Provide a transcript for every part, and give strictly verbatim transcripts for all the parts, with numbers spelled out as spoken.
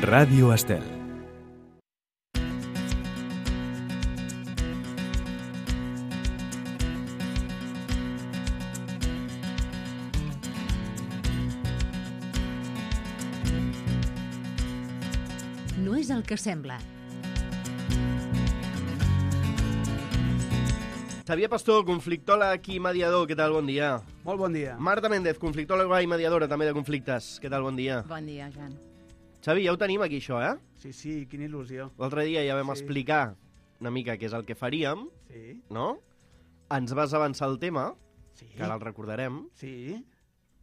Ràdio Estel. No és el que sembla. Xavier Pastor, conflictòleg i mediador, què tal? Bon dia. Molt bon dia. Marta Méndez, conflictòloga i mediadora també de conflictes, què tal? Bon dia. Bon dia, Jan. Xavi, ja ho tenim aquí, això, eh? Sí, sí, quina il·lusió. L'altre dia ja vam Sí. explicar una mica què és el que faríem, Sí, no? Ens vas avançar el tema, sí. que ara el recordarem, Sí,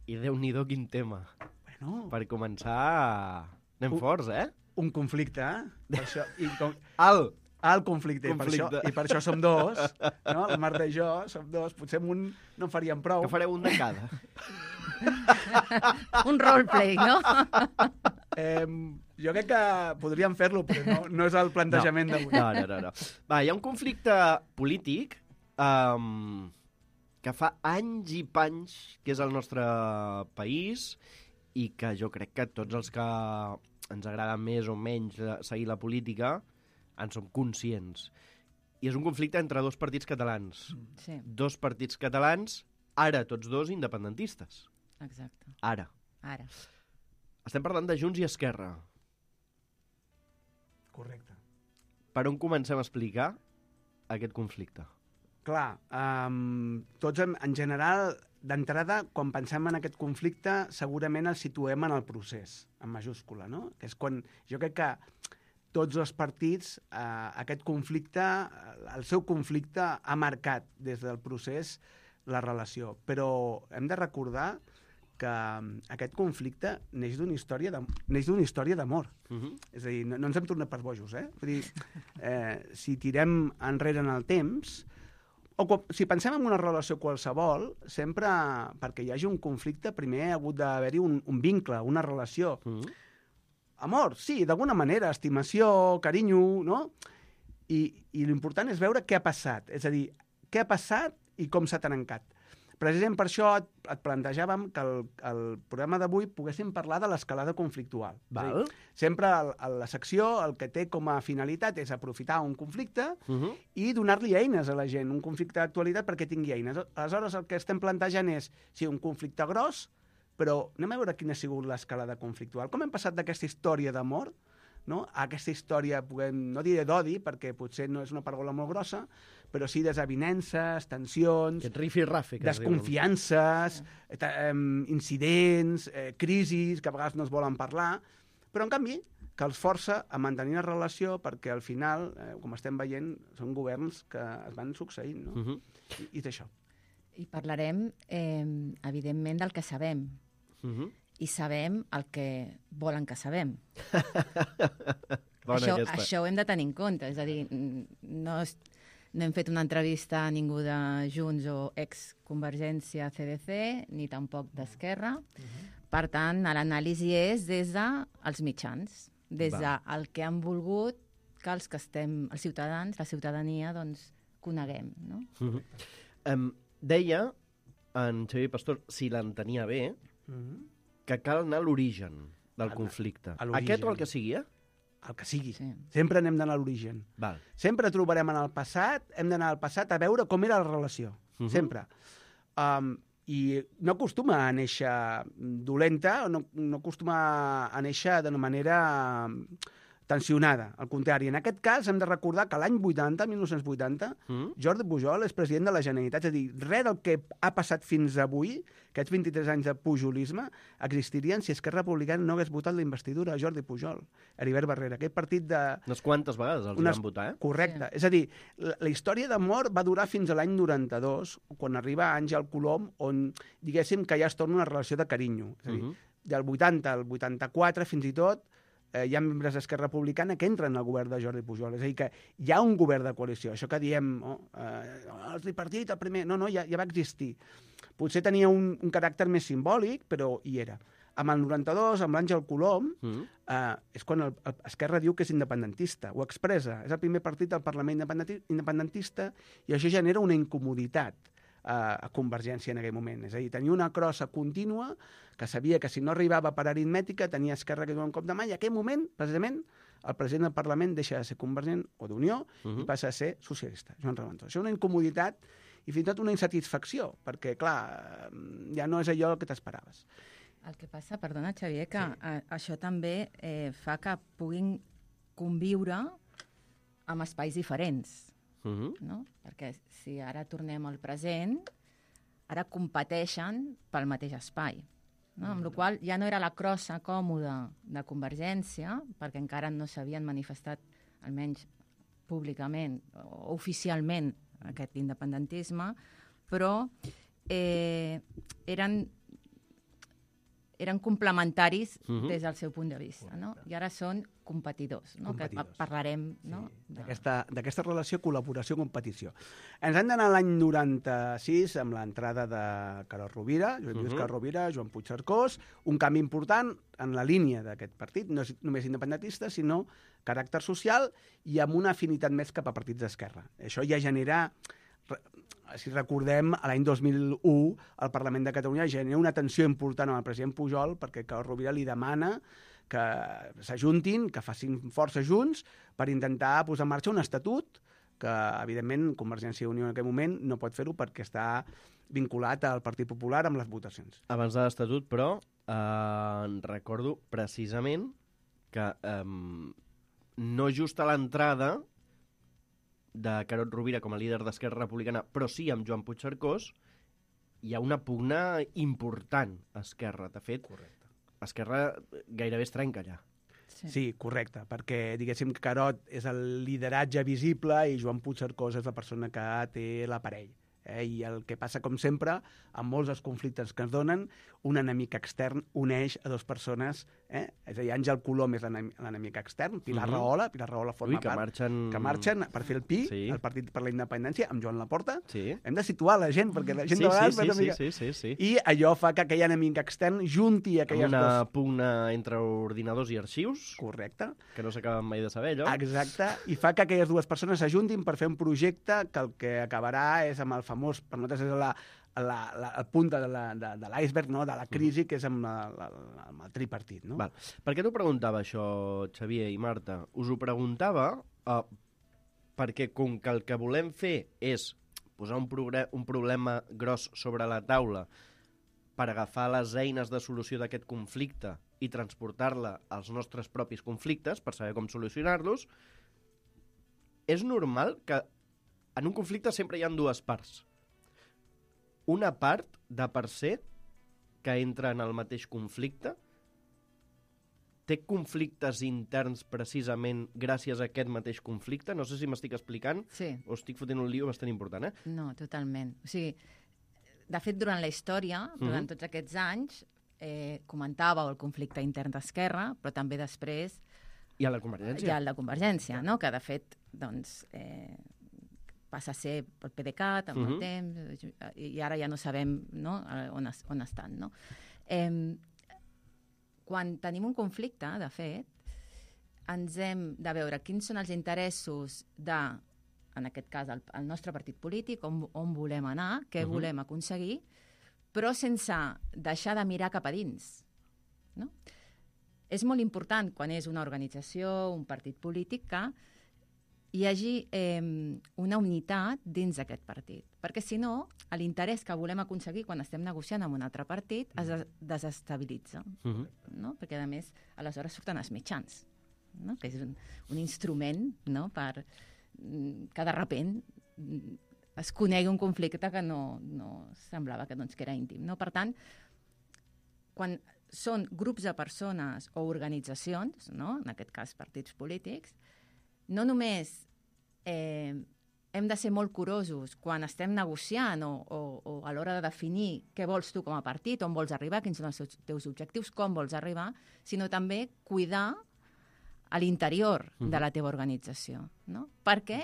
i Déu-n'hi-do quin tema. bueno, Per començar, anem Un- forts, eh? un conflicte, eh? Per això, i com, Al! el conflicte, i per, Conflicte. això, i per això som dos, no? La Marta i jo som dos, potser amb un no en faríem prou. Que fareu un de cada. Un roleplay, no? Eh, jo crec que podríem fer-lo, però no, no és el plantejament d'avui. No, no, no, no. Va, hi ha un conflicte polític um, que fa anys i panys que és el nostre país i que jo crec que tots els que ens agrada més o menys seguir la política en som conscients. I és un conflicte entre dos partits catalans. Sí, Dos partits catalans, ara tots dos independentistes. exacte. Ara. Ara. Estem parlant de Junts i Esquerra. Correcte. Per on comencem a explicar aquest conflicte? Clar, um, tots en, en general, d'entrada, quan pensem en aquest conflicte, segurament el situem en el procés, en majúscula, no? Que és quan, jo crec que tots els partits, eh, aquest conflicte, el seu conflicte ha marcat des del procés la relació. Però hem de recordar que aquest conflicte neix d'una història de, neix d'una història d'amor. Uh -huh. És a dir, no, no ens hem tornat per bojos, eh? Vull dir, eh, si tirem enrere en el temps, o quan, si pensem en una relació qualsevol, sempre, perquè hi hagi un conflicte, primer ha hagut d'haver-hi un, un vincle, una relació. Uh -huh. Amor, sí, d'alguna manera, estimació, carinyo, no? I, i l'important és veure què ha passat, és a dir, què ha passat i com s'ha trencat. Precisament per això et, et plantejàvem que el, el programa d'avui poguéssim parlar de l'escalada conflictual. Val. És a dir, sempre el, el, la secció el que té com a finalitat és aprofitar un conflicte Uh -huh. i donar-li eines a la gent, un conflicte d'actualitat perquè tingui eines. Aleshores, el que estem plantejant és, sí, un conflicte gros, però anem a veure quina ha sigut l'escalada conflictual. Com hem passat d'aquesta història d'amor, no?, a aquesta història, puguem, no diré d'odi, perquè potser no és una paraula molt grossa, però sí desavinences, tensions, Aquest rifi-rafi que es diu. desconfiances, eh, eh, incidents, eh, crisis, que a vegades no es volen parlar, però en canvi que els força a mantenir la relació perquè al final, eh, com estem veient, són governs que es van succeint, no? Uh -huh. I, i d'això. I parlarem, eh, evidentment, del que sabem. Uh -huh. I sabem el que volen que sabem. Bona això, aquesta. això ho hem de tenir en compte. És a dir, no, és, no hem fet una entrevista a ningú de Junts o ex-Convergència C D C, ni tampoc d'Esquerra. Uh-huh. Per tant, l'anàlisi és des dels mitjans, des del que han volgut que els que estem, els ciutadans, la ciutadania, doncs, coneguem, no? Uh -huh. um, deia en Xavier Pastor, si l'entenia bé, Uh -huh. que cal anar a l'origen del A- conflicte. a l'origen. Aquest o el que sigui, eh? El que sigui. Sí. Sempre anem d'anar a l'origen. Val. Sempre trobarem en el passat, hem d'anar al passat a veure com era la relació. Uh-huh. Sempre. Um, I no acostuma a néixer dolenta, o no, no acostuma a néixer d'una manera um, tensionada. Al contrari, en aquest cas hem de recordar que l'any vuitanta, mil nou-cents vuitanta, Uh-huh. Jordi Pujol és president de la Generalitat. És a dir, res del que ha passat fins avui, aquests vint-i-tres anys de pujolisme, existirien si Esquerra Republicana no hagués votat la investidura a Jordi Pujol, Heribert Barrera. Aquest partit de... Unes quantes vegades els Unes- van votar, eh? Correcte. Sí. És a dir, la, la història d'amor va durar fins a l'any noranta-dos, quan arriba Àngel Colom, on, diguéssim, que ja es torna una relació de carinyo. És a dir, Uh-huh. del vuitanta al vuitanta-quatre, fins i tot, eh, hi ha membres d'Esquerra Republicana que entren al govern de Jordi Pujol. És a dir, que hi ha un govern de coalició. Això que diem, oh, eh, el tripartit, el primer... No, no, ja, ja va existir. Potser tenia un, un caràcter més simbòlic, però hi era. Amb el noranta-dos, amb l'Àngel Colom, Uh-huh. eh, és quan el, el Esquerra diu que és independentista, ho expressa. És el primer partit del Parlament independenti- independentista i això genera una incomoditat a, a Convergència en aquell moment. És a dir, tenia una crossa contínua que sabia que si no arribava per aritmètica tenia Esquerra que un cop de mà, i en aquell moment, precisament, el president del Parlament deixa de ser Convergent o d'Unió uh -huh. i passa a ser socialista, Joan Reventós. Això és una incomoditat i fins i tot una insatisfacció, perquè, clar, ja no és allò que t'esperaves. El que passa, perdona, Xavier, que Sí. a, això també eh, fa que puguin conviure amb espais diferents, Uh -huh. no? Perquè si ara tornem al present, ara competeixen pel mateix espai. No? Amb la qual cosa ja no era la crossa còmoda de Convergència, perquè encara no s'havien manifestat, almenys públicament o oficialment, aquest independentisme, però eh, eren, eren complementaris Uh-huh. des del seu punt de vista. No? I ara són competidors, no? Competidors. Que parlarem, no? Sí, d'aquesta d'aquesta relació col·laboració-competició. Ens hem d'anar a l'any noranta-sis amb l'entrada de Carod Rovira, Joan Lluís Uh-huh. Carod Rovira, Joan Puigcercós, un canvi important en la línia d'aquest partit, no és només independentista, sinó caràcter social i amb una afinitat més cap a partits d'esquerra. Això ja genera, si recordem, a l'any dos mil u el Parlament de Catalunya genera una tensió important amb el president Pujol perquè Carod Rovira li demana que s'ajuntin, que facin força junts per intentar posar en marxa un estatut que, evidentment, Convergència i Unió en aquell moment no pot fer-ho perquè està vinculat al Partit Popular amb les votacions. Abans de l'Estatut, però, eh, recordo precisament que eh, no just a l'entrada de Carod Rovira com a líder d'Esquerra Republicana, però sí amb Joan Puigcercós, hi ha una pugna important a Esquerra. De fet, Correcte. Esquerra gairebé es trenca allà. Sí. Sí, correcte, perquè diguéssim que Carod és el lideratge visible i Joan Puigcercós és la persona que té l'aparell. Eh? I el que passa, com sempre, amb molts dels conflictes que es donen, un enemic extern uneix a dues persones, eh? És a dir, Àngel Colom és l'enem- l'enemic extern, Pilar Mhm. Rahola, Pilar Rahola forma Ui, que part, marxen... que marxen per fer el pi, Sí. el Partit per la Independència, amb Joan Laporta. Sí, Hem de situar la gent, perquè la gent sí, de vegades... sí, fa una sí, mica- sí, sí, sí. I allò fa que aquell enemic extern junti Amb aquelles una dues... pugna entre ordinadors i arxius, Correcte. que no s'acaben mai de saber, allò. Exacte, i fa que aquelles dues persones s'ajuntin per fer un projecte que el que acabarà és amb el famós, per nosaltres és la, la, la, la punta de la- de, de l'iceberg, no? De la crisi, que és amb, la, la, amb el tripartit. No? Val. Per què t'ho preguntava això, Xavier i Marta? Us ho preguntava uh, perquè com que el que volem fer és posar un, progre- un problema gros sobre la taula per agafar les eines de solució d'aquest conflicte i transportar-la als nostres propis conflictes per saber com solucionar-los, és normal que en un conflicte sempre hi ha dues parts. Una part de per ser que entra en el mateix conflicte té conflictes interns precisament gràcies a aquest mateix conflicte? No sé si m'estic explicant Sí. o estic fotent un lío bastant important, eh? No, totalment. O sigui, de fet, durant la història, durant Mhm. tots aquests anys, eh, comentàveu el conflicte intern d'Esquerra, però també després I a la Convergència. hi ha el de Convergència, no? Que de fet, doncs, eh, passa a ser el P D C A T amb Mhm. el temps, i ara ja no sabem, no? eh, on, es, on estan, no? Eh, quan tenim un conflicte, de fet, ens hem de veure quins són els interessos de, en aquest cas, el, el nostre partit polític, on, on volem anar, què Mhm. volem aconseguir, però sense deixar de mirar cap a dins. No? És molt important, quan és una organització, un partit polític, que hi hagi eh, una unitat dins d'aquest partit. Perquè, si no, l'interès que volem aconseguir quan estem negociant amb un altre partit es des- desestabilitza. Mhm. No? Perquè, a més, aleshores surten els mitjans, no? Que és un, un instrument, no? Per mm, que de repent mm, es conegui un conflicte que no, no semblava que, doncs, que era íntim. No? Per tant, quan són grups de persones o organitzacions, no? En aquest cas partits polítics, no només eh, hem de ser molt curosos quan estem negociant o, o, o a l'hora de definir què vols tu com a partit, on vols arribar, quins són els teus- teus objectius, com vols arribar, sinó també cuidar a l'interior de la teva organització. No? Perquè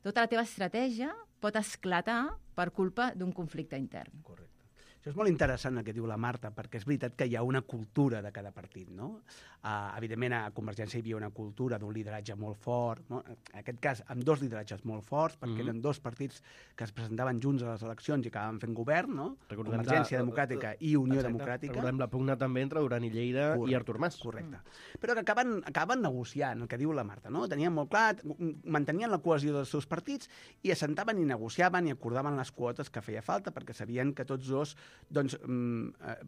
tota la teva estratègia pot esclatar per culpa d'un conflicte intern. Correcte. Això és molt interessant el que diu la Marta, perquè és veritat que hi ha una cultura de cada partit, no? Uh, evidentment, a Convergència hi havia una cultura d'un lideratge molt fort, no? En aquest cas, amb dos lideratges molt forts, perquè mm-hmm. eren dos partits que es presentaven junts a les eleccions i acabaven fent govern, no? Recordem Convergència la, Democràtica i Unió exacte, Democràtica. Recordem la pugna també entre Duran i Lleida correcte, i Artur Mas. Correcte. Mm. Però que acaben, acaben negociant, el que diu la Marta, no? Tenien molt clar, mantenien la cohesió dels seus partits i assentaven i negociaven i acordaven les quotes que feia falta, perquè sabien que tots dos doncs,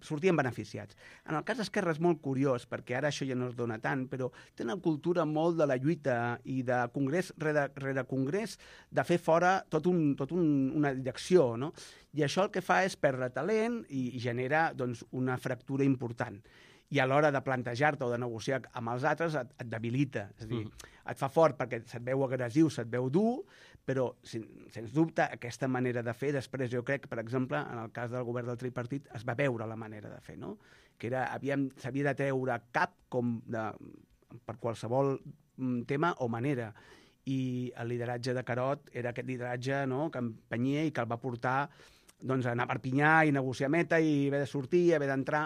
sortien beneficiats. En el cas d'Esquerra és molt curiós, perquè ara això ja no es dona tant, però té una cultura molt de la lluita i de congrés rere, rere congrés de fer fora tot, un, tot un, una direcció, no? I això el que fa és perdre talent i, i genera doncs, una fractura important. I a l'hora de plantejar-te o de negociar amb els altres et, et debilita. És a dir, mm. et fa fort perquè se't veu agressiu, se't veu dur, però, sen, sens dubte, aquesta manera de fer, després jo crec que, per exemple, en el cas del govern del tripartit, es va veure la manera de fer, no? Que era, s'havia de treure cap com de, per qualsevol tema o manera. I el lideratge de Carod era aquest lideratge, no?, que empenyia i que el va portar doncs, a anar a Perpinyà i negociar meta i haver de sortir, haver d'entrar.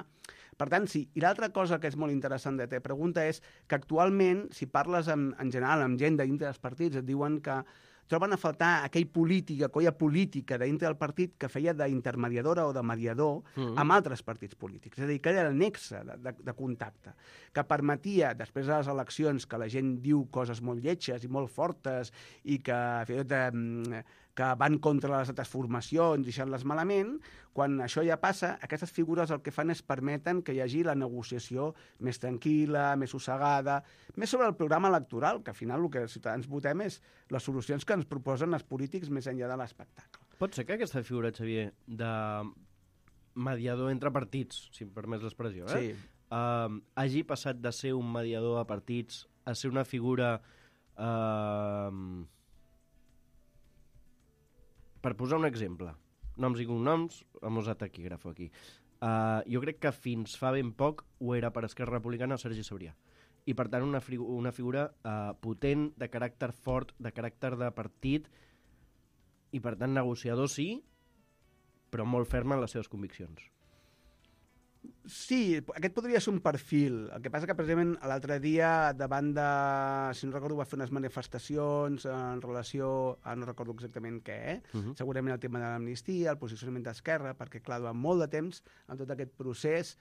Per tant, sí. I l'altra cosa que és molt interessant de la teva pregunta és que actualment, si parles en, en general amb gent dintre dels partits, et diuen que troben a faltar aquell polític, aquella política dintre del partit que feia d'intermediadora o de mediador mm-hmm. amb altres partits polítics. És a dir, que era el nexe de, de, de contacte, que permetia, després de les eleccions, que la gent diu coses molt lletges i molt fortes i que, fins i tot, eh, que van contra les altres formacions, deixant-les malament, quan això ja passa, aquestes figures el que fan és permeten que hi hagi la negociació més tranquil·la, més sossegada, més sobre el programa electoral, que al final el que els ciutadans votem és les solucions que ens proposen els polítics més enllà de l'espectacle. Pot ser que aquesta figura, Xavier, de mediador entre partits, si em permets l'expressió, eh? Sí. Uh, hagi passat de ser un mediador a partits a ser una figura... Uh, per posar un exemple, noms i cognoms, hem usat taquígrafo aquí. Uh, jo crec que fins fa ben poc ho era per Esquerra Republicana o Sergi Sabrià. I per tant una, una figura uh, potent, de caràcter fort, de caràcter de partit, i per tant negociador sí, però molt ferm en les seves conviccions. Sí, aquest podria ser un perfil. El que passa que precisament l'altre dia davant de, si no recordo, va fer unes manifestacions en relació a no recordo exactament què, eh? Uh-huh. Segurament el tema de l'amnistia, el posicionament d'Esquerra, perquè clar, durant molt de temps en tot aquest procés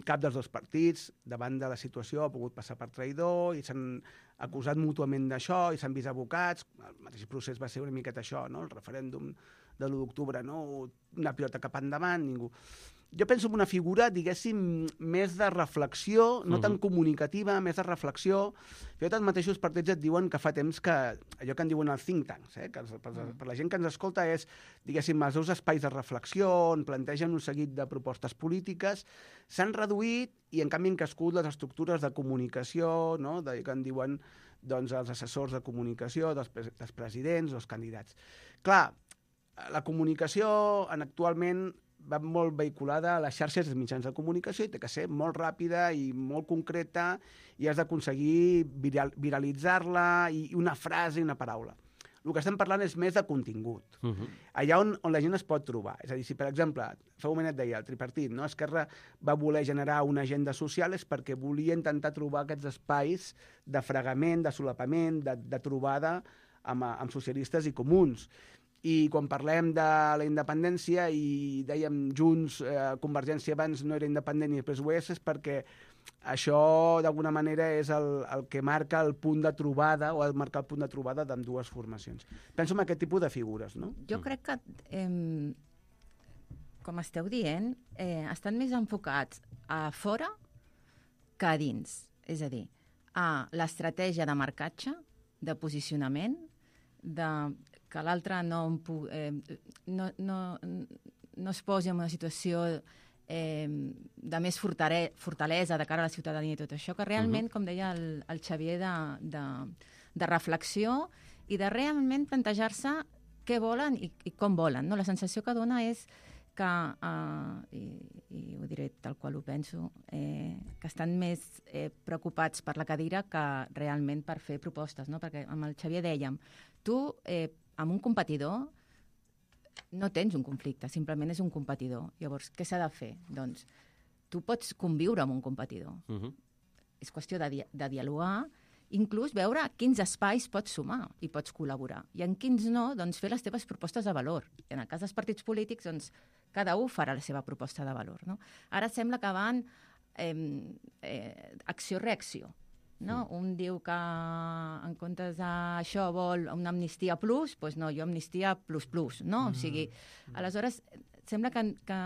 cap dels dos partits, davant de la situació, ha pogut passar per traïdor i s'han acusat mútuament d'això i s'han vist abocats. El mateix procés va ser una miqueta això, no? El referèndum de l'u d'octubre, no? Una pilota cap endavant, ningú... Jo penso en una figura, diguéssim, més de reflexió, no uh-huh. tan comunicativa, més de reflexió. Fins i tot els mateixos partits et diuen que fa temps que, allò que en diuen els think tanks, eh? Que per, per la gent que ens escolta és, diguéssim, els seus espais de reflexió, on plantegen un seguit de propostes polítiques, s'han reduït i en canvi han crescut les estructures de comunicació, no? De, que en diuen doncs, els assessors de comunicació dels, dels presidents o els candidats. Clar, la comunicació en actualment va molt vehiculada a les xarxes dels mitjans de comunicació i té que ser molt ràpida i molt concreta i has d'aconseguir viral, viralitzar-la i una frase i una paraula. El que estem parlant és més de contingut. Uh-huh. Allà on, on la gent es pot trobar. És a dir, si per exemple, fa un moment et deia, el tripartit, no? Esquerra va voler generar una agenda social és perquè volia intentar trobar aquests espais de fregament, de solapament, de, de trobada amb, amb socialistes i comuns. I quan parlem de la independència i dèiem Junts, eh, Convergència abans no era independent i després ho és, és perquè això d'alguna manera és el, el que marca el punt de trobada o ha de marcar el punt de trobada d'ambdues formacions. Penso en aquest tipus de figures, no? Jo crec que, eh, com esteu dient, eh, estan més enfocats a fora que a dins. És a dir, a l'estratègia de marcatge, de posicionament, de... que l'altre no, eh, no, no, no es posi en una situació eh, de més fortare, fortalesa de cara a la ciutadania i tot això, que realment, uh-huh. com deia el, el Xavier, de, de, de reflexió i de realment plantejar-se què volen i, i com volen. No? La sensació que dona és que, eh, i, i ho diré tal qual ho penso, eh, que estan més eh, preocupats per la cadira que realment per fer propostes. No? Perquè amb el Xavier dèiem, tu... Eh, amb un competidor no tens un conflicte, simplement és un competidor. Llavors, què s'ha de fer? Doncs tu pots conviure amb un competidor. Uh-huh. És qüestió de, di de dialogar, inclús veure quins espais pots sumar i pots col·laborar. I en quins no, doncs fer les teves propostes de valor. I en el cas dels partits polítics, doncs cada un farà la seva proposta de valor. No? Ara sembla que van eh, eh, acció-reacció. No? Mm. Un diu que en comptes d'això vol una amnistia plus, doncs no, jo amnistia plus plus. No? Mm. O sigui, aleshores, sembla que, que,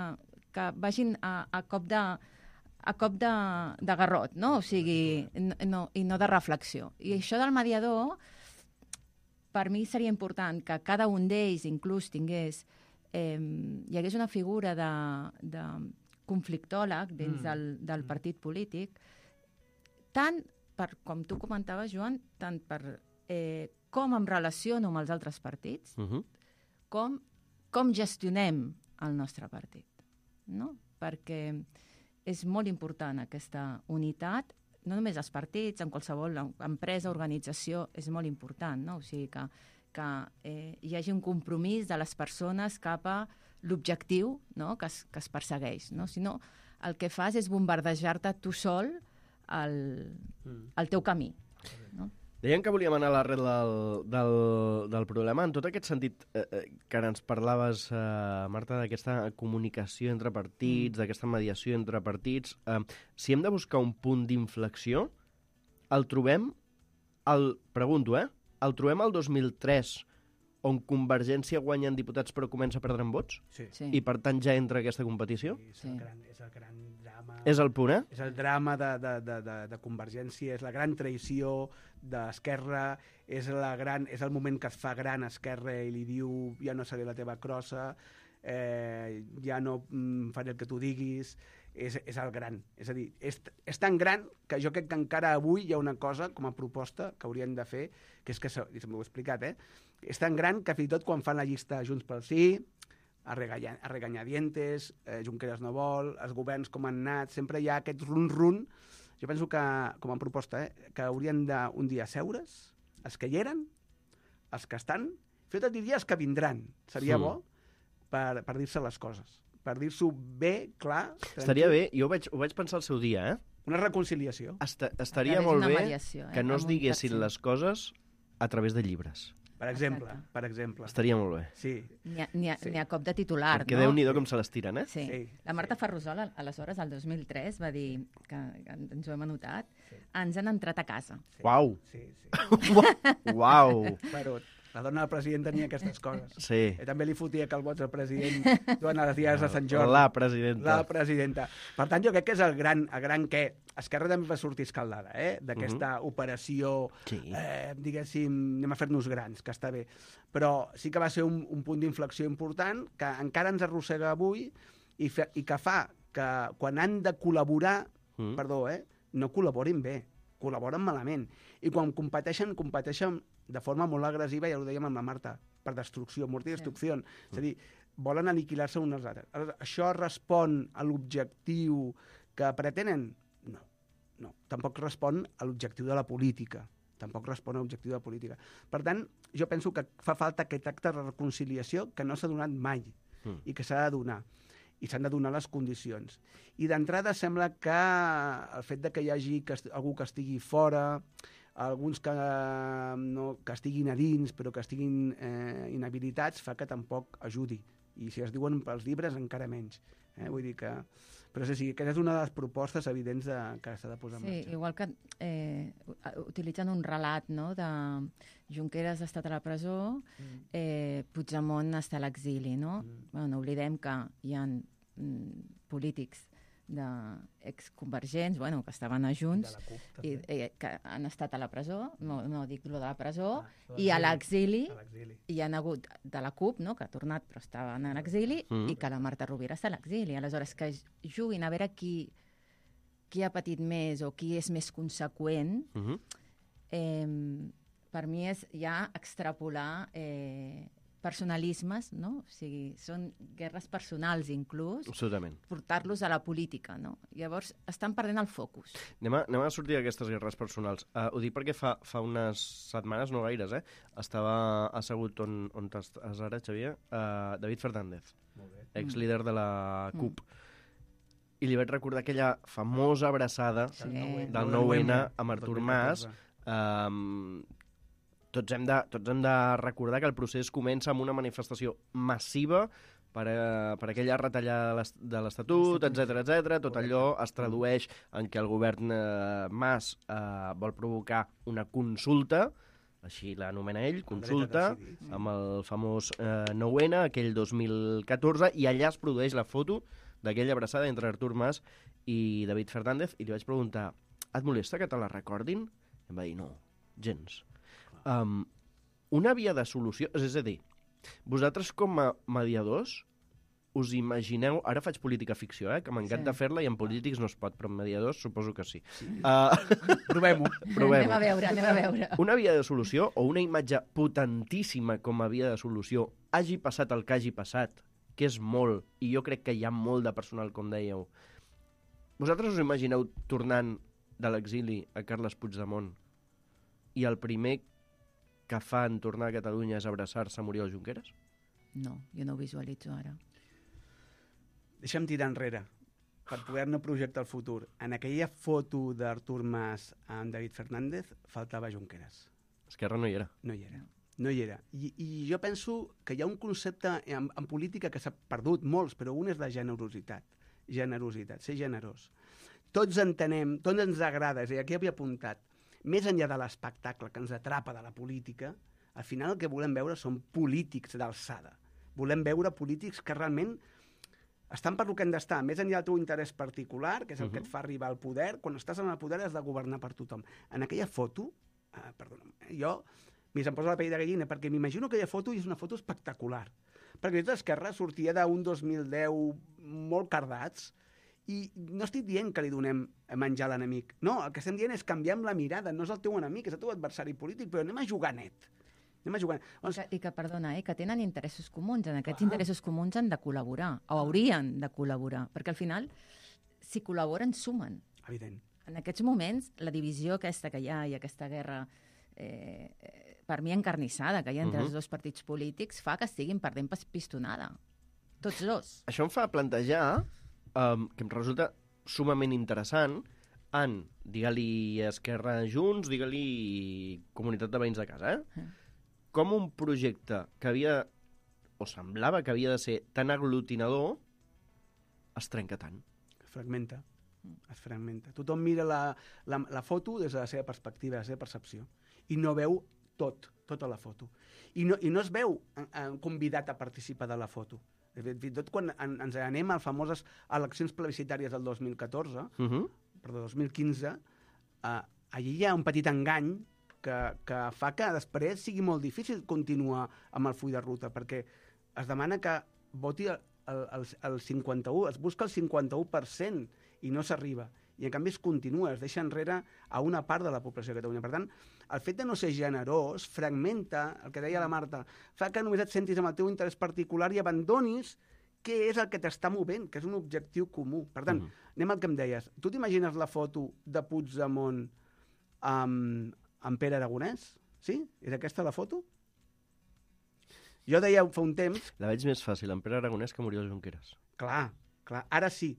que vagin a, a cop de a cop de, de garrot, no? O sigui, no, i no de reflexió. I això del mediador, per mi seria important que cada un d'ells inclús tingués, eh, hi hagués una figura de, de conflictòleg dins mm. del, del partit polític, tant per, com tu comentaves, Joan, tant per eh, com em relaciono amb els altres partits, uh-huh. com, com gestionem el nostre partit, no? Perquè és molt important aquesta unitat, no només als partits, en qualsevol empresa, organització, és molt important, no? O sigui, que, que eh, hi hagi un compromís de les persones cap a l'objectiu, no? que, es, que es persegueix. No? Si no, el que fas és bombardejar-te tu sol el, el teu camí. No? Deien que volíem anar a l'arrel del, del, del problema. En tot aquest sentit eh, que ara ens parlaves, eh, Marta, d'aquesta comunicació entre partits, mm. d'aquesta mediació entre partits, eh, si hem de buscar un punt d'inflexió, el trobem, el, pregunto, eh? El trobem el dos mil tres, on Convergència guanya en diputats però comença a perdre en vots? Sí. Sí. I per tant ja entra aquesta competició? Sí, és, el gran, és el gran drama. És el punt, eh? És el drama de, de, de, de, de Convergència, és la gran traïció d'Esquerra, és, la gran, és el moment que es fa gran Esquerra i li diu ja no seré la teva crossa, eh, ja no mm, faré el que tu diguis, és, és el gran. És a dir, és, és tan gran que jo crec que encara avui hi ha una cosa com a proposta que haurien de fer, que és que, i m'ho he explicat, eh? És tan gran que fins i tot quan fan la llista Junts pel Sí, a, reganya, a regañadientes, eh, Junqueras no vol, els governs com han anat, sempre hi ha aquest run-run. Jo penso que, com a proposta, eh, que haurien d'un dia seure's, els que hi eren, els que estan, fins i tot diria els que vindran. Seria mm. bo per, per dir-se les coses, per dir-s'ho bé, clar. Tranquil. Estaria bé, jo ho vaig, ho vaig pensar el seu dia, eh? Una reconciliació. Esta, estaria molt bé mediació, eh? que no es diguessin les coses a través de llibres. Per exemple, per exemple. Estaria molt bé. Sí. N'hi ha, ha, sí. ha cop de titular, Perquè no? Déu-n'hi-do com se les tiren, eh? Sí. sí. La Marta sí. Ferrusol, aleshores, el dos mil tres, va dir, que, que ens ho hem anotat, sí. ens han entrat a casa. Sí. Uau! Sí, sí. Uau! Però la dona del president tenia aquestes coses. Sí. I també li fotia calbots al president durant les dies de Sant Jordi. La presidenta. La presidenta. Per tant, jo crec que és el gran, el gran què. Esquerra també va sortir escaldada, eh? D'aquesta uh -huh. operació, sí. eh, diguéssim, anem a fer-nos grans, que està bé. Però sí que va ser un, un punt d'inflexió important que encara ens arrossega avui i, fe, i que fa que quan han de col·laborar, uh -huh. perdó, eh? no col·laborin bé, col·laboren malament. I quan competeixen, competeixen de forma molt agressiva, ja ho dèiem amb la Marta, per destrucció, mort i destrucció. Sí. És a dir, volen aniquilar-se uns als altres. Això respon a l'objectiu que pretenen? No, no. Tampoc respon a l'objectiu de la política. Tampoc respon a l'objectiu de la política. Per tant, jo penso que fa falta aquest acte de reconciliació que no s'ha donat mai mm. i que s'ha de donar. I s'han de donar les condicions. I d'entrada sembla que el fet de que hi hagi que algú que estigui fora, alguns que, no, que estiguin a dins però que estiguin eh, inhabilitats fa que tampoc ajudi. I si es diuen pels llibres encara menys. Eh? Vull dir que... Però és així, aquesta és una de les propostes evidents de, que s'ha de posar en sí, marxa. Igual que eh, utilitzant un relat, no?, de Junqueras ha estat a la presó, mm. eh, Puigdemont està a l'exili, no? Mm. Bueno, no oblidem que hi ha mm, polítics d'exconvergents, bueno, que estaven a Junts, CUP, i eh, que han estat a la presó, no, no dic lo de la presó, ah, i a l'exili, hi han hagut de la CUP, no?, que ha tornat però estaven a l'exili, mm. i que la Marta Rovira està a l'exili. Aleshores, que juguin a veure qui, qui ha patit més o qui és més conseqüent, mm -hmm. eh, per mi és ja extrapolar eh, personalismes, no? O sigui, són guerres personals inclús, Absolutament. portar-los a la política, no? Llavors estan perdent el focus. Anem a, anem a sortir d'aquestes guerres personals. Uh, ho dic perquè fa, fa unes setmanes, no gaires, eh? Estava assegut on, on estàs ara, Xavier, uh, David Fernández, ex-líder de la C U P. Mm. I li vaig recordar aquella famosa abraçada Sí. del nou ene amb Artur Mas. Um, tots, hem de, tots hem de recordar que el procés comença amb una manifestació massiva per, a, per aquella retallada de l'es- de l'Estatut, etcètera, etcètera. Tot allò es tradueix en que el govern eh, Mas eh, vol provocar una consulta, així l'anomena ell, consulta, amb el famós eh, nou ene, aquell dos mil catorze, i allà es produeix la foto d'aquella abraçada entre Artur Mas i David Fernández, i li vaig preguntar, et molesta que te la recordin? I em va dir, no, gens. Um, una via de solució, és a dir, vosaltres com a mediadors us imagineu, ara faig política ficció, eh, que m'encanta Sí. fer-la i en polítics no es pot, però en mediadors suposo que sí. sí. Uh, Provem-ho. Provem-ho. Anem a veure, anem a veure. Una via de solució o una imatge potentíssima com a via de solució hagi passat el que hagi passat, que és molt, i jo crec que hi ha molt de personal, com dèieu. Vosaltres us imagineu tornant de l'exili a Carles Puigdemont i el primer que fa en tornar a Catalunya és abraçar-se a Oriol Junqueras? No, jo no ho visualitzo ara. Deixa'm tirar enrere per poder-ne projectar el futur. En aquella foto d'Artur Mas amb David Fernández faltava Junqueras. Esquerra no hi era. No hi era. No hi era. I, i jo penso que hi ha un concepte en, en política que s'ha perdut molts, però un és la generositat. Generositat, ser generós. Tots entenem, tots ens agrada, és a dir, aquí havia apuntat, més enllà de l'espectacle que ens atrapa de la política, al final el que volem veure són polítics d'alçada. Volem veure polítics que realment estan per lo que han d'estar, més enllà del teu interès particular, que és el uh -huh. que et fa arribar al poder. Quan estàs en el poder has de governar per tothom. En aquella foto, eh, perdona'm, jo m'hi se'm posa la pell de gallina, perquè m'imagino aquella foto i és una foto espectacular. Perquè tota Esquerra sortia d'un dos mil deu molt cardats, i no estic dient que li donem a menjar a l'enemic. No, el que estem dient és canviar la mirada. No és el teu enemic, és el teu adversari polític, però anem a jugar net. Anem a jugar. I que, i que perdona, eh, que tenen interessos comuns. En aquests ah. interessos comuns han de col·laborar, o haurien de col·laborar, perquè al final, si col·laboren, sumen. Evident. En aquests moments, la divisió aquesta que hi ha i aquesta guerra, eh, per mi encarnissada, que hi ha entre uh -huh. els dos partits polítics, fa que estiguin perdent pistonada. Tots dos. Això em fa plantejar, um, que em resulta sumament interessant, en, digue-li Esquerra Junts, digue-li Comunitat de Veïns de Casa, eh? Uh -huh. Com un projecte que havia, o semblava que havia de ser tan aglutinador, es trenca tant. Es fragmenta. Es fragmenta. Tothom mira la, la, la foto des de la seva perspectiva, la seva percepció, i no veu tot, tota la foto. I no, i no es veu eh, convidat a participar de la foto. Fins i tot quan en, ens anem a famoses eleccions plebiscitàries del dos mil catorze, uh -huh. perdó, dos mil quinze, eh, allí hi ha un petit engany que, que fa que després sigui molt difícil continuar amb el full de ruta, perquè es demana que voti el, el, el cinquanta-u, es busca el cinquanta-u per cent i no s'arriba. I en canvi es continua, es deixa enrere a una part de la població de Catalunya. Per tant, el fet de no ser generós fragmenta, el que deia la Marta, fa que només et sentis amb el teu interès particular i abandonis què és el que t'està movent, que és un objectiu comú. Per tant, uh-huh. anem al que em deies. Tu t'imagines la foto de Puigdemont amb, amb Pere Aragonès? Sí? És aquesta la foto? Jo deia fa un temps... La veig més fàcil amb Pere Aragonès que Oriol Junqueras. Clar, clar. Ara sí.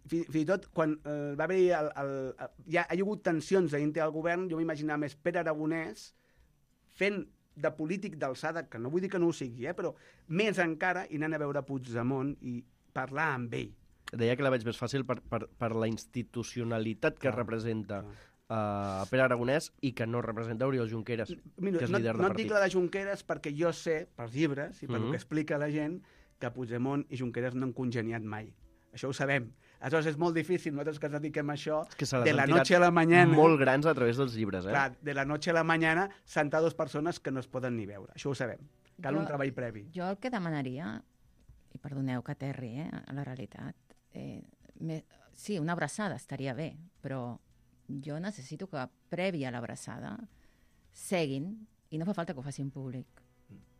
Fins i tot, quan eh, va haver-hi... El, el, el, ja ha hi hagut tensions a dintre del govern, jo m'imaginava més Pere Aragonès fent de polític d'alçada, que no vull dir que no ho sigui, eh, però més encara, i anant a veure Puigdemont i parlar amb ell. Deia que la veig més fàcil per, per, per la institucionalitat que clar, representa uh, Pere Aragonès i que no representa Oriol Junqueras, Mira, que és no, líder de no partit. No et dic la de Junqueras perquè jo sé, pels llibres i per mm-hmm. el que explica la gent, que Puigdemont i Junqueras no han congeniat mai. Això ho sabem. Aleshores és molt difícil, nosaltres que ens dediquem a això, que de la noche a la mañana... molt grans a través dels llibres, eh? Clar, de la noche a la mañana, sentar dues persones que no es poden ni veure. Això ho sabem. Cal jo, un treball previ. Jo el que demanaria, i perdoneu que aterri, eh, a la realitat, eh, me, sí, una abraçada estaria bé, però jo necessito que, previ a l'abraçada, seguin, i no fa falta que ho facin públic,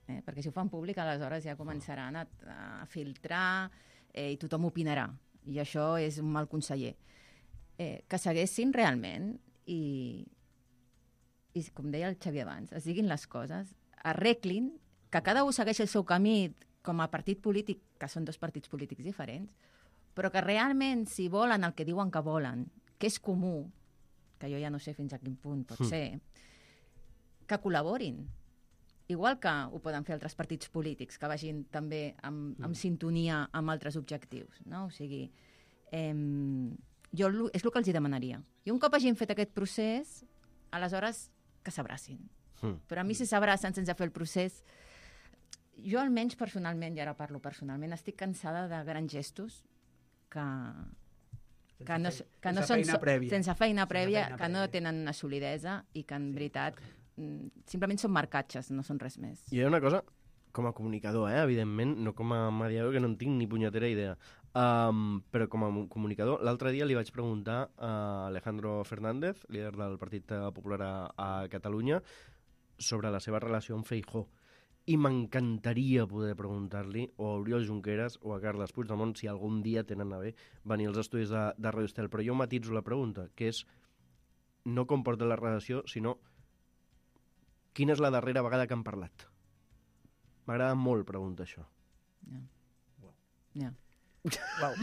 Eh? Perquè si ho fan públic, aleshores ja començaran a, a filtrar eh, i tothom opinarà. I això és un mal conseller. Eh, que seguessin realment i, i, com deia el Xavier abans, es diguin les coses, arreglin, que cada un segueixi el seu camí com a partit polític, que són dos partits polítics diferents, però que realment, si volen el que diuen que volen, que és comú, que jo ja no sé fins a quin punt pot Mm. ser, que col·laborin. Igual que ho poden fer altres partits polítics, que vagin també amb, amb sintonia amb altres objectius. No? O sigui, eh, jo lo- és el que els hi demanaria. I un cop hagin fet aquest procés, aleshores que s'abracin. Mm. Però a mi si s'abracen sense fer el procés, jo almenys personalment, i ara parlo personalment, estic cansada de grans gestos que, que no, que no sense són... feina prèvia. Sense feina Sense prèvia, feina que no prèvia. tenen una solidesa i que en veritat mm, simplement són marcatges, no són res més. I hi ha una cosa, com a comunicador, eh, evidentment, no com a mediador, que no en tinc ni punyetera idea, um, però com a mu- comunicador, l'altre dia li vaig preguntar a Alejandro Fernández, líder del Partit Popular a, a Catalunya, sobre la seva relació amb Feijóo. I m'encantaria poder preguntar-li o a Oriol Junqueras o a Carles Puigdemont si algun dia tenen a bé venir als estudis de, de Radio Estel. Però jo matitzo la pregunta, que és no com porta la relació, sinó quina és la darrera vegada que han parlat. M'agrada molt preguntar això. Ja. Ja. Uau.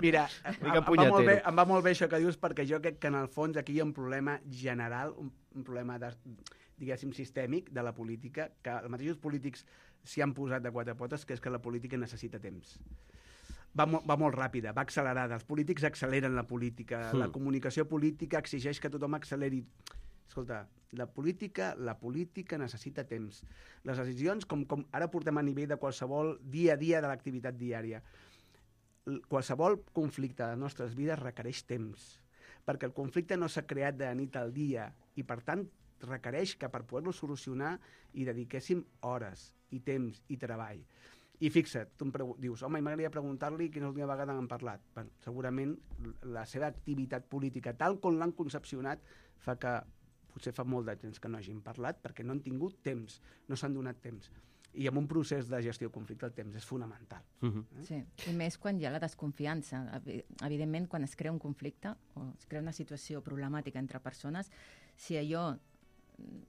Mira, em, Mica em, va molt bé, punyetero. em va molt bé això que dius, perquè jo crec que en el fons aquí hi ha un problema general, un, un problema de, diguéssim, sistèmic de la política, que els mateixos polítics s'hi han posat de quatre potes, que és que la política necessita temps. Va, mo va molt ràpida, va accelerada. Els polítics acceleren la política, Mm. la comunicació política exigeix que tothom acceleri. Escolta, la política, la política necessita temps. Les decisions, com, com ara portem a nivell de qualsevol dia a dia de l'activitat diària, L- qualsevol conflicte de les nostres vides requereix temps, perquè el conflicte no s'ha creat de nit al dia i, per tant, requereix que per poder-lo solucionar hi dediquéssim hores i temps i treball. I fixa't, tu em pregu- dius, home, m'agradaria preguntar-li quina és l'última vegada que han parlat. Bueno, segurament l- la seva activitat política, tal com l'han concepcionat, fa que potser fa molt de temps que no hagin parlat perquè no han tingut temps, no s'han donat temps. I en un procés de gestió de conflicte el temps és fonamental. Uh-huh. Sí, i més quan hi ha la desconfiança. Evi- Evidentment, quan es crea un conflicte o es crea una situació problemàtica entre persones, si allò mm,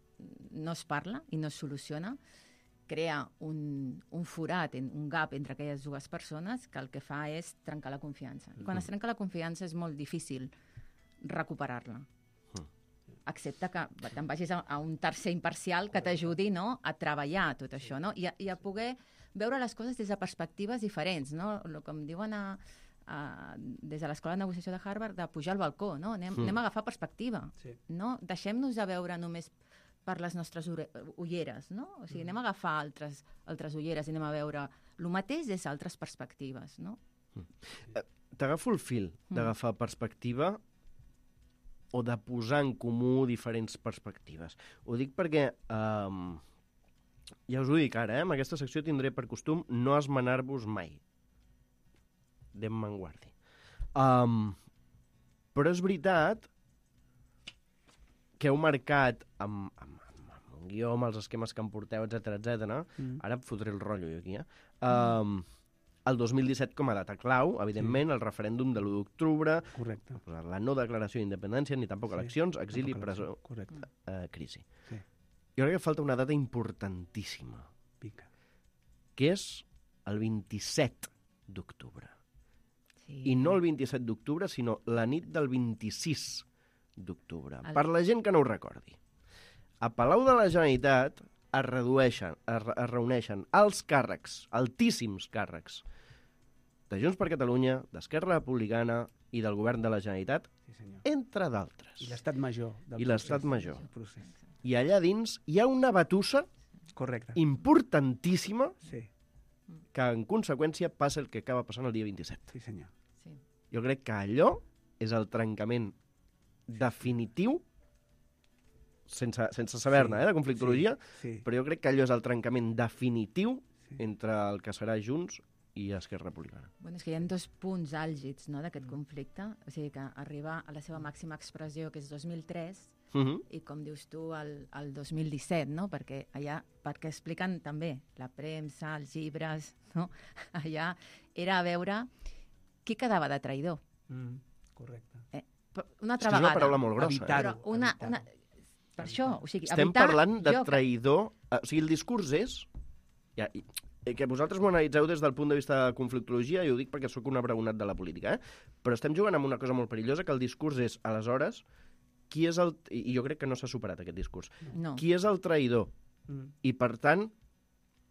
no es parla i no es soluciona, crea un, un forat, en- un gap entre aquelles dues persones que el que fa és trencar la confiança. I quan es trenca la confiança és molt difícil recuperar-la. Excepte que te'n vagis a, a un tercer imparcial que t'ajudi, no, a treballar tot això, no? I a, i a poder veure les coses des de perspectives diferents, no? Lo, com diuen a, a, des de l'Escola de Negociació de Harvard, de pujar al balcó, no? Anem, Mm. anem a agafar perspectiva, Sí. no? Deixem-nos de veure només per les nostres ure- ulleres, no? O sigui, anem a agafar altres, altres ulleres i anem a veure el mateix des d'altres perspectives, no? T'agafo el fil d'agafar perspectiva o de posar en comú diferents perspectives. Ho dic perquè, um, ja us ho dic ara, eh? En aquesta secció tindré per costum no esmenar-vos mai. Déu me'n guardi. Um, però és veritat que heu marcat amb, amb, amb, amb un guió, amb els esquemes que em porteu, etcètera, etcètera. Mm. Ara em fotré el rotllo jo aquí, eh? Um, el dos mil disset com a data clau, evidentment, sí. El referèndum de l'u d'octubre, Correcte. la no declaració d'independència, ni tampoc Sí, eleccions, exili, tampoc presó, elecció. Correcte. eh, crisi. Sí. Jo crec que falta una data importantíssima, Pica. que és el vint-i-set d'octubre. Sí. I no el vint-i-set d'octubre, sinó la nit del vint-i-sis d'octubre. El- Per la gent que no ho recordi. A Palau de la Generalitat es, redueixen, es, re- es reuneixen els càrrecs, altíssims càrrecs, de Junts per Catalunya, d'Esquerra Republicana i del Govern de la Generalitat, Sí, senyor. entre d'altres. I l'estat major. Del I l'estat procés. major. Del procés. I allà dins hi ha una batussa Correcte. importantíssima Sí, que, en conseqüència, passa el que acaba passant el dia vint-i-set. sí, senyor. Sí. Jo crec que allò és el trencament definitiu, sense, sense saber-ne, Sí, eh, de conflictologia, Sí, sí. però jo crec que allò és el trencament definitiu Sí. entre el que serà Junts i Esquerra Republicana. Bueno, és que hi ha dos punts àlgids, no, d'aquest conflicte. O sigui que arribar a la seva màxima expressió, que és dos mil tres, Uh -huh. i com dius tu, el, el dos mil disset, no? Perquè allà, perquè expliquen també la premsa, els llibres, no? Allà era a veure qui quedava de traïdor. Mm, correcte. Eh, una És altra que és una vegada. paraula molt grossa. Evitar-ho. Eh? Però una, evitar-ho. una, per això, o sigui, Estem evitar, parlant de jo, traïdor... O sigui, el discurs és... Ja, i, que vosaltres m'ho analitzeu des del punt de vista de conflictologia, i ho dic perquè sóc un abraonat de la política, eh? Però estem jugant amb una cosa molt perillosa, que el discurs és, aleshores, qui és el... I jo crec que no s'ha superat aquest discurs. No. Qui és el traïdor? Mm. I, per tant,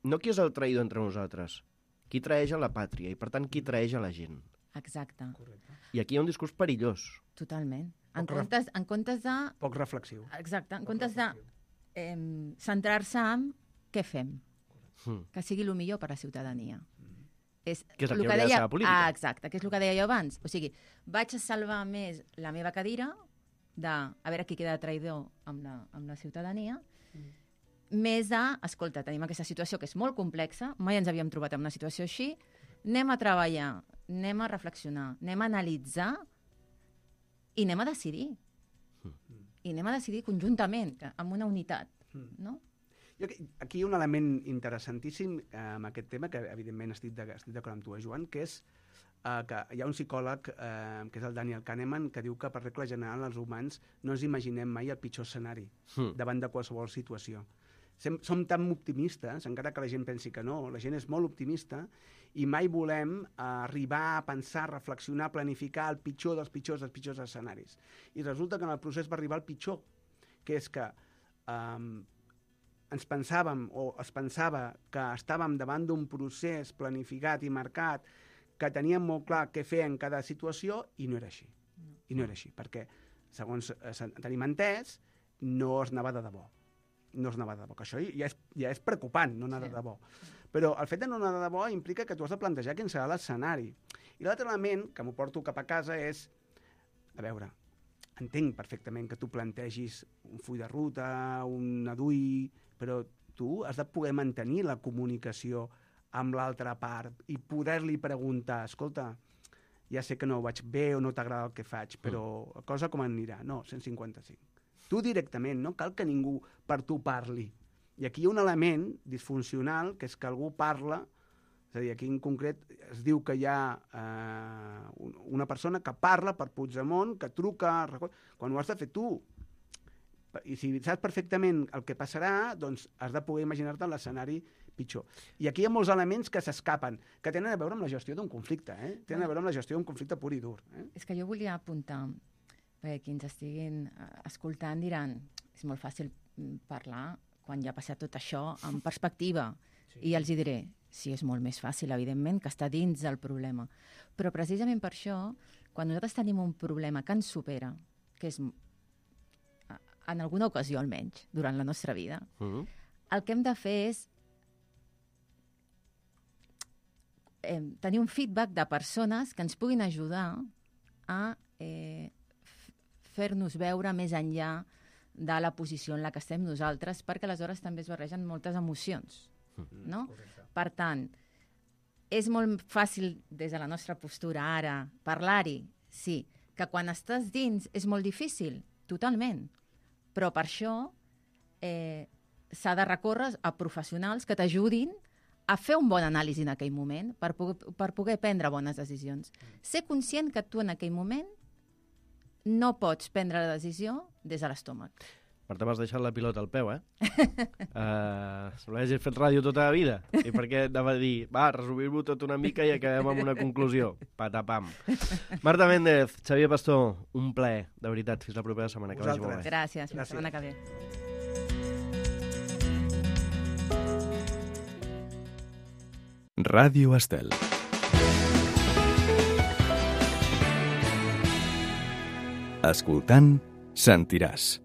no qui és el traïdor entre nosaltres, qui traeix a la pàtria, i, per tant, qui traeix a la gent. Exacte, Correcte. I aquí hi ha un discurs perillós. totalment. En Poc ref- comptes, en comptes de... Poc reflexiu. Exacte, en comptes de eh, centrar-se en què fem, Mm. que sigui el millor per a la ciutadania. És Que és el lo que hauria de ser la política. Ah, exacte, que és el que deia jo abans. O sigui, vaig a salvar més la meva cadira de a veure qui queda de traïdor amb la, amb la ciutadania, mm. més de, escolta, tenim aquesta situació que és molt complexa, mai ens havíem trobat en una situació així, anem a treballar, anem a reflexionar, anem a analitzar i anem a decidir. Mm. I anem a decidir conjuntament, que- amb una unitat, Mm. no? Jo, aquí hi ha un element interessantíssim eh, amb aquest tema, que evidentment estic de- estic d'acord amb tu, eh, Joan, que és eh, que hi ha un psicòleg, eh, que és el Daniel Kahneman, que diu que per regla general els humans no ens imaginem mai el pitjor escenari Mm. davant de qualsevol situació. Sem som tan optimistes, encara que la gent pensi que no, la gent és molt optimista i mai volem eh, arribar a pensar, reflexionar, planificar el pitjor dels pitjors dels pitjors escenaris. I resulta que en el procés va arribar el pitjor, que és que eh, ens pensàvem, o es pensava que estàvem davant d'un procés planificat i marcat, que teníem molt clar què fer en cada situació, i no era així. I no era així, perquè, segons eh, tenim entès, no es anava de debò. No es anava de debò, que això ja és, ja és preocupant, no anar Sí. de debò. Però el fet de no anar de debò implica que tu has de plantejar quin serà l'escenari. I l'altre element, que m'ho porto cap a casa, és, a veure, entenc perfectament que tu plantegis un full de ruta, un adui, però tu has de poder mantenir la comunicació amb l'altra part i poder-li preguntar, escolta, ja sé que no ho vaig bé o no t'agrada el que faig, però la cosa com anirà? No, cent cinquanta-cinc. Tu directament, no cal que ningú per tu parli. I aquí hi ha un element disfuncional, que és que algú parla, és a dir, aquí en concret es diu que hi ha eh, una persona que parla per Puigdemont, que truca, quan ho has de fer tu. I si saps perfectament el que passarà, doncs has de poder imaginar-te l'escenari pitjor. I aquí hi ha molts elements que s'escapen, que tenen a veure amb la gestió d'un conflicte, eh? Tenen a veure amb la gestió d'un conflicte pur i dur. Eh? És que jo volia apuntar, perquè qui ens estiguin eh, escoltant diran, és molt fàcil mm, parlar quan ja ha passat tot això en perspectiva. Sí. I els hi diré, sí, és molt més fàcil, evidentment, que està dins del problema. Però precisament per això, quan nosaltres tenim un problema que ens supera, que és, en alguna ocasió almenys, durant la nostra vida, Mm. el que hem de fer és eh, tenir un feedback de persones que ens puguin ajudar a eh, fer-nos veure més enllà de la posició en la que estem nosaltres, perquè aleshores també es barregen moltes emocions, no? Per tant, és molt fàcil des de la nostra postura ara parlar-hi, sí, que quan estàs dins és molt difícil, totalment, però per això eh, s'ha de recórrer a professionals que t'ajudin a fer un bon anàlisi en aquell moment per poder, per poder prendre bones decisions. Ser conscient que tu en aquell moment no pots prendre la decisió des de l'estómac. Per tant, m'has deixat la pilota al peu, eh? uh, Sembla que hagis fet ràdio tota la vida. I per què anava a dir, va, resumir-ho tot una mica i acabem amb una conclusió. Patapam. Marta Méndez, Xavier Pastor, un plaer, de veritat. Fins la propera setmana. Que vagi molt bé. Gràcies, fins la Gràcies. setmana que ve. Ràdio Estel. Escoltant, sentiràs.